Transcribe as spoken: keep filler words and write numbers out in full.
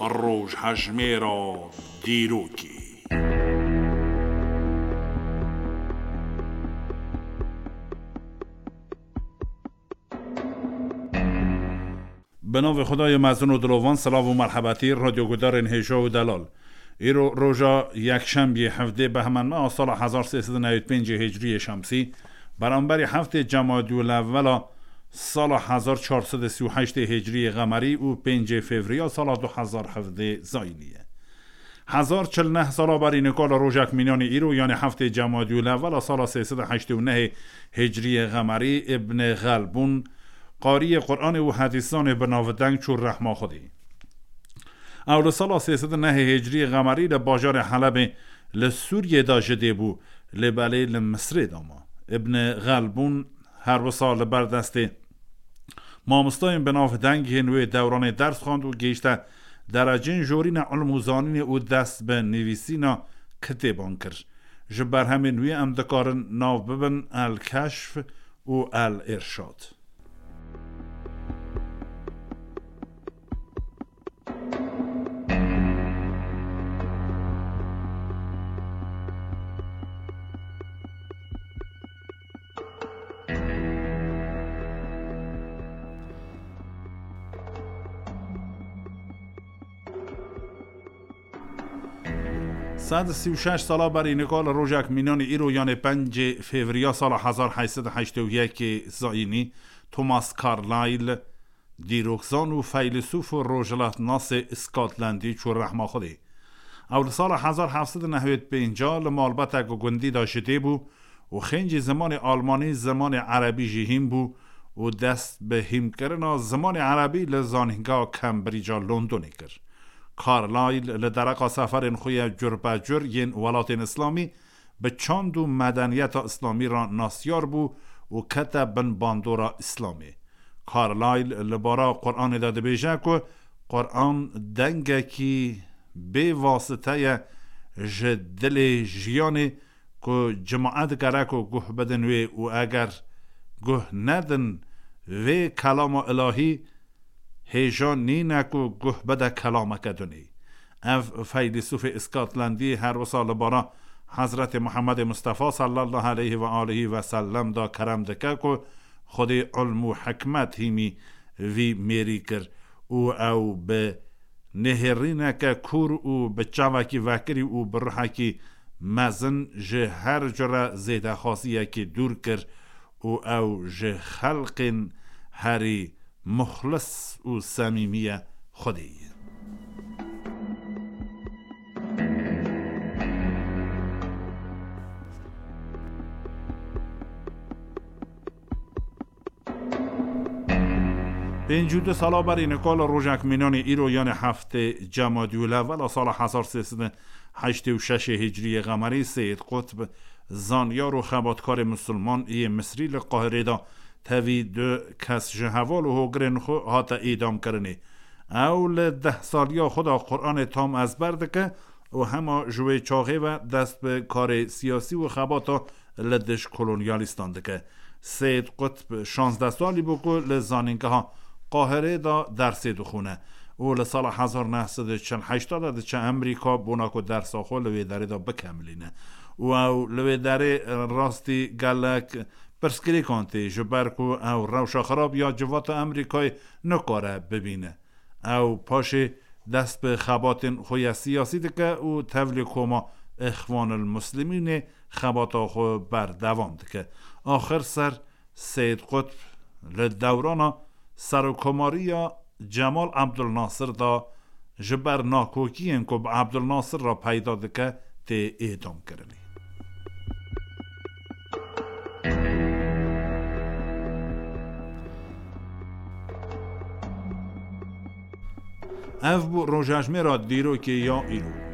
Rojhejmêra dîrokê. Bi navê Xwedayê mezin û dilovan, silav û merhebetî, radyogudarên hêja û delal. Îro roja yekşembiyê, hevdê Behmendmeha sala hezar sê sed û newêd pêncê Hicriyê Şemsî, beramberî heftê Cemadî û Lewela sala hezar çar sed û sî û heştê Hicriyê Qemerî û pêncê Fevriya sala du hezar hevdê Zayînî ye. Hezar çil neh sala berî nika li rojek mînanî îro, yanî heftê Cemadî û Lewela sala sê sed û heştê û nehê Hicriyê Qemerî, Îbnê Xelbûn, qariyê Quranê û hedîsanê bi navdeng çû rehma Xwedê. Ew li sala sê sed û nehê Hicriyê Qemerî li bajarê Helebê li Sûriyê de ji dê bû, lê belê li Misrê de ma. Îbnê Xelbûn her wisa li ber destê mamostayên bi nav deng yên wê dewranê ders xwend û gihîşte derecên jorîne ilm û zanînê û dest bi nivîsîna kitêban kir. Ji berhemên wî em dikarin nav bibin El Keşf û El Irşad. Sed sî û şeş sala berî nika li rojek mînanî îro, yanê pêncê Fevriya sala hezar heyt sed û heştê û yekê Zayînî, Thomas Carlyle, dîrokzan û feylesûf û rojhilatnasê Skotlandî çû rehma Xwedê. Ew li sala hezar heft sed û nehwêd pênc li malbetek gundî de ji dê bû û xêncî zimanê almanî, zimanê erebî jî hîn bû û dest bi hînkirina zimanê erebî li Zanîngeha Cambridge-a Londonê kir. Carlyle li dereqa seferên xwe ya curbecur yên welatên îslamî bi çand û medeniyeta îslamî re nasiyar bû û kete bin bandora îslamê. Carlyle li bara Quranê de dibêje ku Quran dengekî bê wasite ye ji dilê jiyanê ku cimaet gerek ku guh bidin wê û eger guh nedin vê kelama ilahî, hêja nîne ku guh bide kelameke dinê. Ev feylesûfê Îskotlandî her wisa li bara Hezretê Muhemmedê Mustefa sallallahu aleyhi ve aleyhi ve sellem de kerem dike ku Xwedê ilm û hikmet hîmî vî mêrî kir û ew bi nêhêrîneke kûr û bi çavekî vekirî û bi ruhekî mezin ji her cure zêdexwaziyekê dûr kir û ew ji xelqên herî muxlis û semîmî ye Xwedê ye. Pêncî û du sala berî nika li rojek mînanî îro, yanê heftê Cemadî û Lewela sala hezar sê sed û heştê û şeş Hicriyê Qemerî, Seyîd Qutb, zanyar û xebatkarê misilman yê Misrî li Qahirê de tevî du kes ji heval û hogirên xwe hate îdamkirinê. Ew li deh saliya xwe de Quranê tam ezber dike û hema ji wê çaxê ve dest bi karê siyasî û xebata li dij kolonyalîstan dike. Seyîd Qutb şazdeh salî bû ku li zanîngeha Qahirê de dersê dixwîne û li sala hezar neh sed û çil heşt de diçe Amerîka bona ku dersa xwe li wê derê de bikemilîne. Û ew li wê derê rastî gelek pirsgirêkan tê, ji ber ku ew rewşa xirab ya civata Amerîkayê nikare bibîne. Ew paşê dest bi xebatên xwe ya siyasî dike û tevlî koma Îxwanil Muslimînê xebata xwe berdewam dike. Axir ser Seyîd Qutb li dewrana serokkomariya Cemal Abdulnasir de ji ber nakokiyên ku bi Abdulnasir re peyda dike tê îdamkirinê. Ev bû rojejmêra dîrokê ya îro.